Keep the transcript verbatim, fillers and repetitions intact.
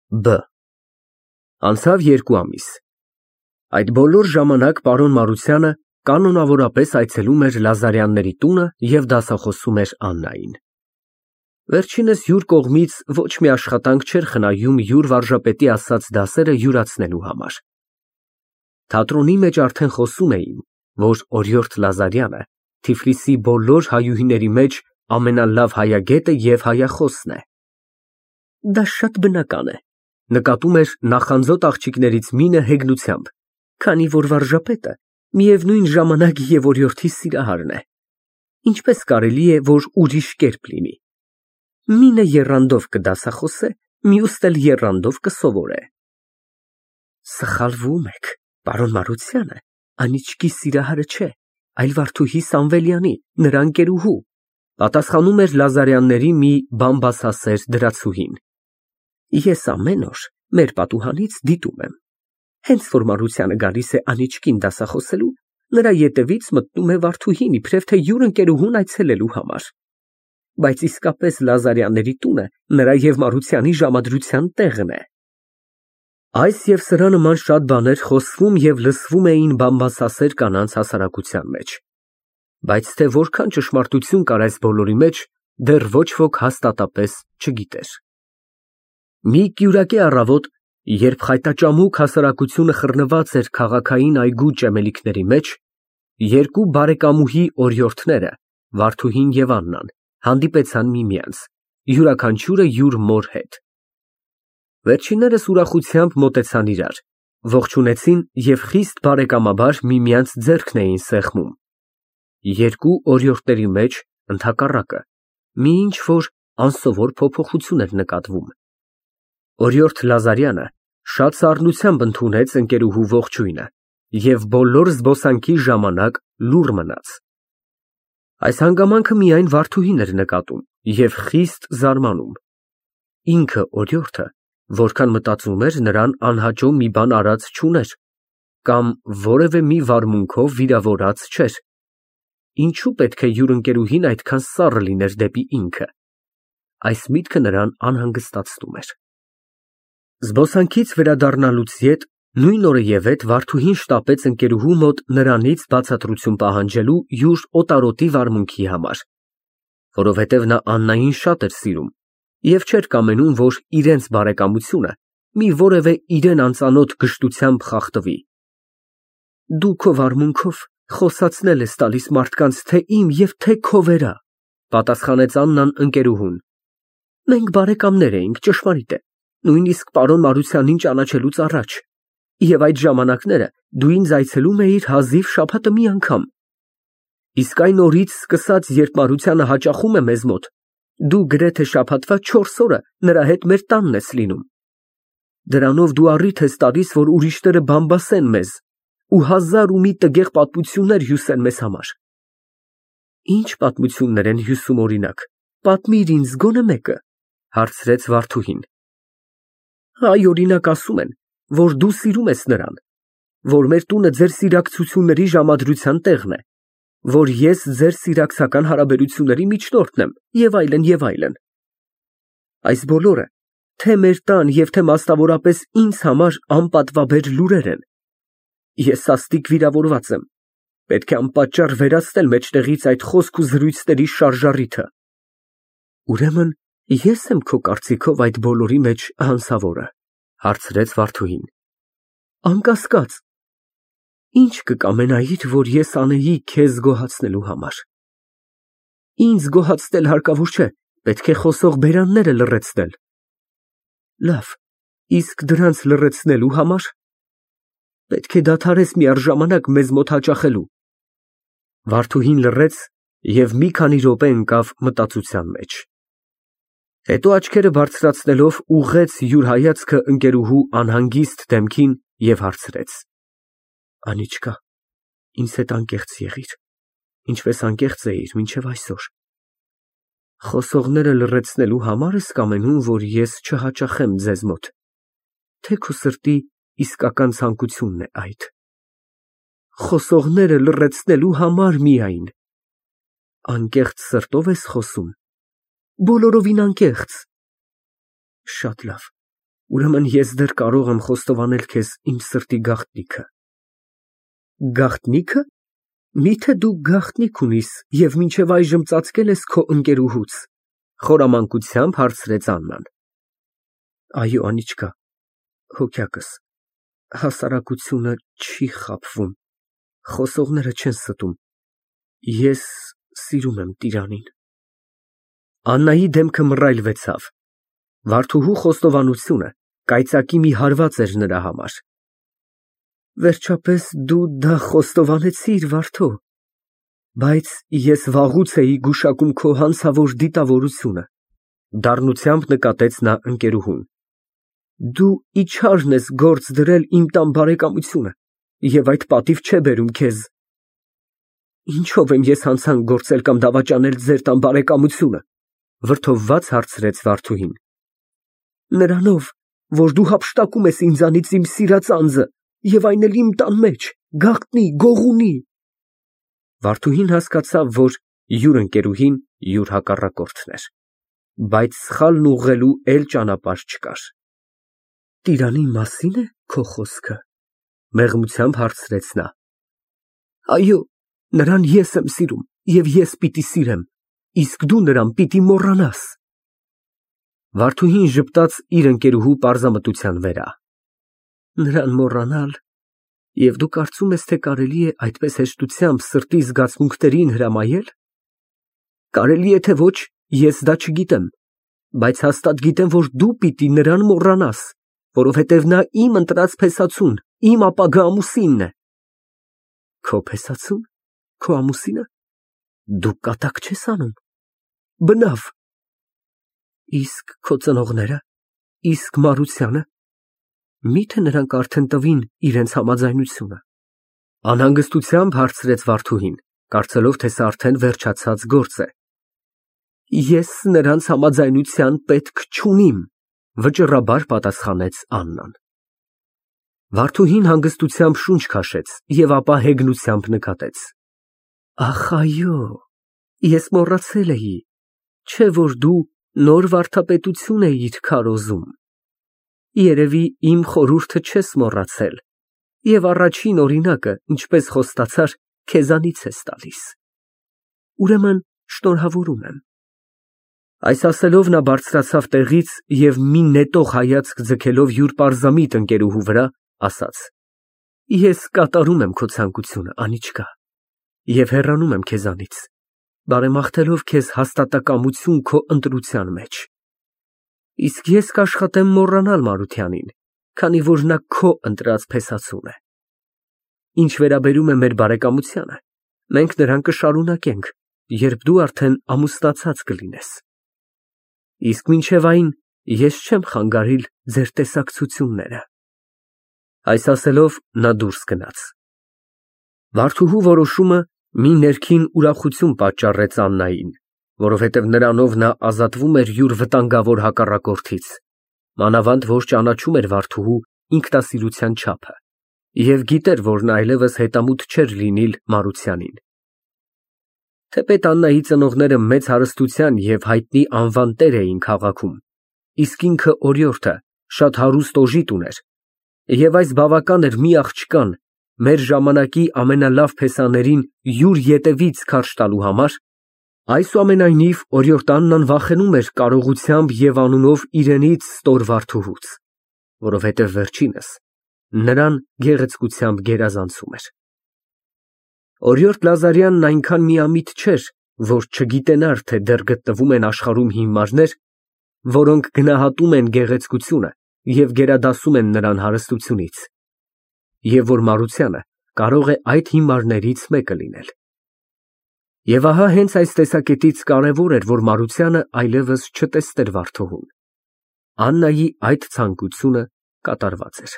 Բ Անցավ երկու ամիս։ Այդ բոլոր ժամանակ պարոն Մարությանը կանոնավորապես այցելում էր Լազարյանների տունը և դասախոսում էր Աննային։ Վերջինս յուր կողմից ոչ մի աշխատանք չէր խնայում յուր վարժապետի ասած դասերը յուրացնելու համար։ Թատրոնի մեջ արդեն խոսում էին, որ օրիորդ Լազարյանը Թիֆլիսի բոլոր հայուհիների մեջ ամենալավ հայագետը և հայախոսն է։ Դա շատ բնական է, նկատում էր նախանձոտ աղջիկներից մինը հեգնությամբ, քանի որ վարժապետը միևնույն ժամանակ և օրիորդի սիրահարն է։ Ինչպես կարելի է, որ ուրիշ կերպ լինի։ Մինը եռանդով կդասախոսե, մյուսն էլ եռանդով կսովորե։ Սխալվում եք, պարոն Մարությանը անիծկի սիրահարը չէ, այլ Վարդուհի Սամվելյանի, նրա ընկերուհու, պատասխանում էր Լազարյանների մի բամբասասեր դրացուհին։ Ես ամեն օր մեր պատուհանից դիտում եմ։ Հենց որ Մարությանը գալիս է անիծկին դասախոսելու, նրա ետևից մտնում է Վարդուհին, իբրև թե յուր ընկերուհուն այցելելու համար։ Բայց իսկապես Լազարյանների տունը նրա և Մարությանի ժամադրության տեղն է։ Այս և սրա նման շատ բաներ խոսվում և լսվում էին բամբասասեր կանանց հասարակության մեջ, բայց թե որքան ճշմարտություն կար այս բոլորի մեջ, դեռ ոչ ոք հաստատապես չգիտեր։ Մի կյուրակի առավոտ, երբ խայտաճամուկ հասարակությունը խռնված էր քաղաքային այգու ճեմելիքների մեջ, երկու բարեկամուհի օրիորդները, Վարդուհին և Աննան, հանդիպեցան միմյանց, յուրաքանչյուրը յուր մոր հետ։ Վերջիններս ուրախությամբ մոտեցան իրար, ողջունեցին և խիստ բարեկամաբար միմյանց ձեռքն էին սեղմում։ Երկու օրիորդների մեջ, ընդհակառակը, մի ինչ֊որ անսովոր փոփոխություն էր նկատվում։ Օրիորդ Լազարյանը շատ սառնությամբ ընդունեց ընկերուհու ողջույնը և բոլոր զբոսանքի ժամանակ լուռ մնաց։ Այս հանգամանքը միայն Վարդուհին էր նկատում և խիստ զարմանում։ Ինքը օրիորդը, որքան մտածում էր, նրան անհաճո մի բան արած չուներ, կամ որևէ մի վարմունքով վիրավորած չէր։ Ինչո՞ւ պետք է յուր ընկերուհին այդքան սառը լիներ դեպի ինքը։ Այս միտքը նրան անհանգստացնում էր։ Զբոսանքից վերադառնալուց ետ նույն օրը Վարդուհին շտապեց ընկերուհու մոտ նրանից բացատրություն պահանջելու յուր օտարոտի վարմունքի համար, որովհետև նա Աննային շատ էր սիրում և չէր կամենում, որ իրենց բարեկամությունը մի որևէ իրան անծանոթ գժտությամբ խախտվի։ Դու քո վարմունքով խոսացնել ես տալիս մարդկանց թե իմ և թե քո վրա, պատասխանեց Աննան ընկերուհուն։ Մենք բարեկամներ էինք, ճշմարիտ է, նույնիսկ պարոն Մարությանին ճանաչելուց առաջ, և այդ ժամանակները դու ինձ այցելում էիր հազիվ շաբաթը մի անգամ։ Իսկ այն օրից սկսած, երբ Մարությանը հաճախում է մեզ մոտ, դու գրեթե շաբաթվա չորս օրը նրա հետ մեր տանն ես լինում։ Դրանով դու առիթ ես տալիս, որ ուրիշները բամբասեն մեզ ու հազար ու մի տգեղ պատմություններ հյուսեն մեզ համար։ Ինչ պատմություններ են հյուսում, օրինակ, պատմիր ինձ գոնե մեկը, հարցրեց Վարդուհին։ Այ, օրինակ, ասում են, որ դու սիրում ես նրան, որ մեր տունը ձեր սիրակցությունների ժամադրության տեղն է, որ ես ձեր սիրակցական հարաբերությունների միջնորդն եմ, և այլն, և այլն։ Այս բոլորը թե մեր տան և թե մասնավորապես ինձ համար անպատվաբեր լուրեր են։ Ես սաստիկ վիրավորված եմ, պետք է անպատճառ վերացնել մեջտեղից այդ խոսք ու զրույցների շարժառիթը։ Ուրեմն ե՞ս եմ քո կարծիքով այդ բոլորի մեջ հանցավորը, հարցրեց Վարդուհին։ Անկասկած։ Ինչ կկամենայիր, որ ես անեի քեզ գոհացնելու համար։ Ինձ գոհացնել հարկավոր չէ, պետք է խոսող բերանները լռեցնել։ Լավ, իսկ դրանց լռեցնելու համար պետք է դադարես միառժամանակ մեզ մոտ հաճախելու։ Վարդուհին լռեց և մի քանի րոպե ընկավ մտածության մեջ։ Հետո աչքերը բարձրացնելով ուղղեց յուր հայացքը ընկերուհու անհանգիստ դեմքին և հարցրեց. Անիծկա, ինձ հետ անկեղծ եղիր, ինչպես անկեղծ էիր մինչև այսօր։ Խոսողները լռեցնելու համար ես կամենում, որ ես չհաճախեմ ձեզ մոտ, թե քո սրտի իսկական ցանկությունն է այդ։ Խոսողները լռեցնելու համար միայն։ Անկեղծ սրտով ես խոսում։ Բոլորովին անկեղծ։ Շատ լավ, Ուրեմն ես դեռ կարող եմ խոստովանել քեզ իմ սրտի գաղտնիքը։ Գաղտնի՞քը։ Միթե դու գաղտնիք ունիս և մինչև այժմ ծածկել ես քո ընկերուհուց, խորամանկությամբ հարցրեց Աննան։ Այո, Անիչկա, հոգյակս, հասարակությունը չի խաբվում, խոսողները չեն ստում, ես սիրում եմ տիրանին։ Աննայի դեմքը մռայլվեցավ, Վարդուհու խոստովանությունը կայծակի մի հարված էր նրա համար։ Վերջապես դու դա խոստովանեցիր, Վարդո, բայց ես վաղուց էի գուշակում քո հանցավոր դիտավորությունը, դառնությամբ նկատեց նա ընկերուհուն։ Դու իչարն ես գործ դրել իմ տան բարեկամությունը և այդ պատիվ չէ բերում քեզ։ Ինչո՞վ եմ ես հանցանք գործել կամ դավաճանել ձեր տան բարեկամությունը, վրդովված հարցրեց Վարդուհին։ Նրանով, որ դու հափշտակում ես ինձանից իմ սիրած անձը և այն էլ իմ տան մեջ, գաղտնի, գողունի։ Վարդուհին հասկացավ, որ յուր ընկերուհին յուր հակառակորդն էր, բայց սխալն ուղղելու էլ ճանապարհ չկար։ Տիրանի մասի՞ն է քո խոսքը, մեղմությամբ հարցրեց նա։ Այո, նրան ես եմ սիրում և ես պիտի սիրեմ, իսկ դու նրան պիտի մոռանաս։ Վարդուհին ժպտաց իր ընկերուհու պարզամտության վրա։ Նրան մոռանալ, և դու կարծում ես, թե կարելի է այդպես հեշտությամբ սրտի զգացմունքներին հրամայել։ Կարելի է, թե ոչ, ես դա չգիտեմ, բայց հաստատ գիտեմ, որ դու պիտի նրան մոռանաս, որովհետև նա իմ ընտրած փեսացուն, իմ ապագա ամուսինն է։ Քո փեսացու՞ն, քո ամուսինը։ Դու կատակ չես անում։ Բնավ։ Իսկ քո ծնողնե՞րը, իսկ Մարությանը, միթե նրանք արդեն տվին իրենց համաձայնությունը։ Անհանգստությամբ հարցրեց Վարդուհին, կարծելով, թե սա արդեն վերջացած գործ է։ Ես նրանց համաձայնության պետք չունիմ, վճռաբար պատասխանեց Աննան։ Վարդուհին հանգստությամբ շունչ քաշեց և ապա հեգնությամբ նկատեց. Ախ, այո, ես մոռացել էի, չէ՞ որ դու նոր վարդապետություն էիր քարոզում։ Երևի իմ խորհուրդը չես մոռացել և առաջին օրինակը, ինչպես խոստացար, քեզանից ես տալիս։ Ուրեմն շնորհավորում եմ։ Այս ասելով նա բարձրացավ տեղից և մի նետող հայացք ձգելով յուր պարզամիտ ընկերուհու վրա, ասաց. Ես կատարում եմ քո ցանկությունը, Անիչկա, և հեռանում եմ քեզանից, բարեմաղթելով քեզ հաստատակամություն քո ընտրության մեջ։ Իսկ ես կաշխատեմ մոռանալ Մարությանին, քանի որ նա քո ընտրած փեսացուն է։ Ինչ վերաբերում է մեր բարեկամությանը, մենք նրան կշարունակենք, երբ դու արդեն ամուսնացած կլինես։ Իսկ մինչև այն ես չեմ խանգարիլ ձեր տեսակցությունները։ Այս ասելով նա դուրս գնաց։ Վարդուհու որոշումը մի ներքին ուրախություն պատճառեց Աննային, որովհետև նրանով նա ազատվում էր յուր վտանգավոր հակառակորդից, մանավանդ որ ճանաչում էր Վարդուհու ինքնասիրության չափը և գիտեր, որ նա այլևս հետամուտ չէր լինիլ Մարությանին։ Թեպետ Աննայի ծնողները մեծ հարստության և հայտնի անվան տեր էին քաղաքում, իսկ ինքը օրիորդը շատ հարուստ օժիտ ուներ, և այս բավական էր մի աղջկան, մեր ժամանակի ամենալավ փեսաներին յուր ետևից քարշ տալու համար, այսուամենայնիվ օրիորդ Աննան վախենում էր կարողությամբ և անունով իրենից ստոր Վարդուհուց, որովհետև վերջինս նրան գեղեցկությամբ գերազանցում էր։ Օրիորդ Լազարյանն այնքան միամիտ չէր, որ չգիտենար, թե դեռ գտնվում են աշխարհում հիմարներ, որոնք գնահատում են գեղեցկությունը և գերադասում են նրան հարստությունից, և որ Մարությանը կարող է այդ հիմարներից մեկը լինել։ Եվ ահա հենց այս տեսակետից կարևոր էր, որ Մարությանը այլևս չտեսներ Վարդուհուն։ Աննայի այդ ցանկությունը կատարված էր։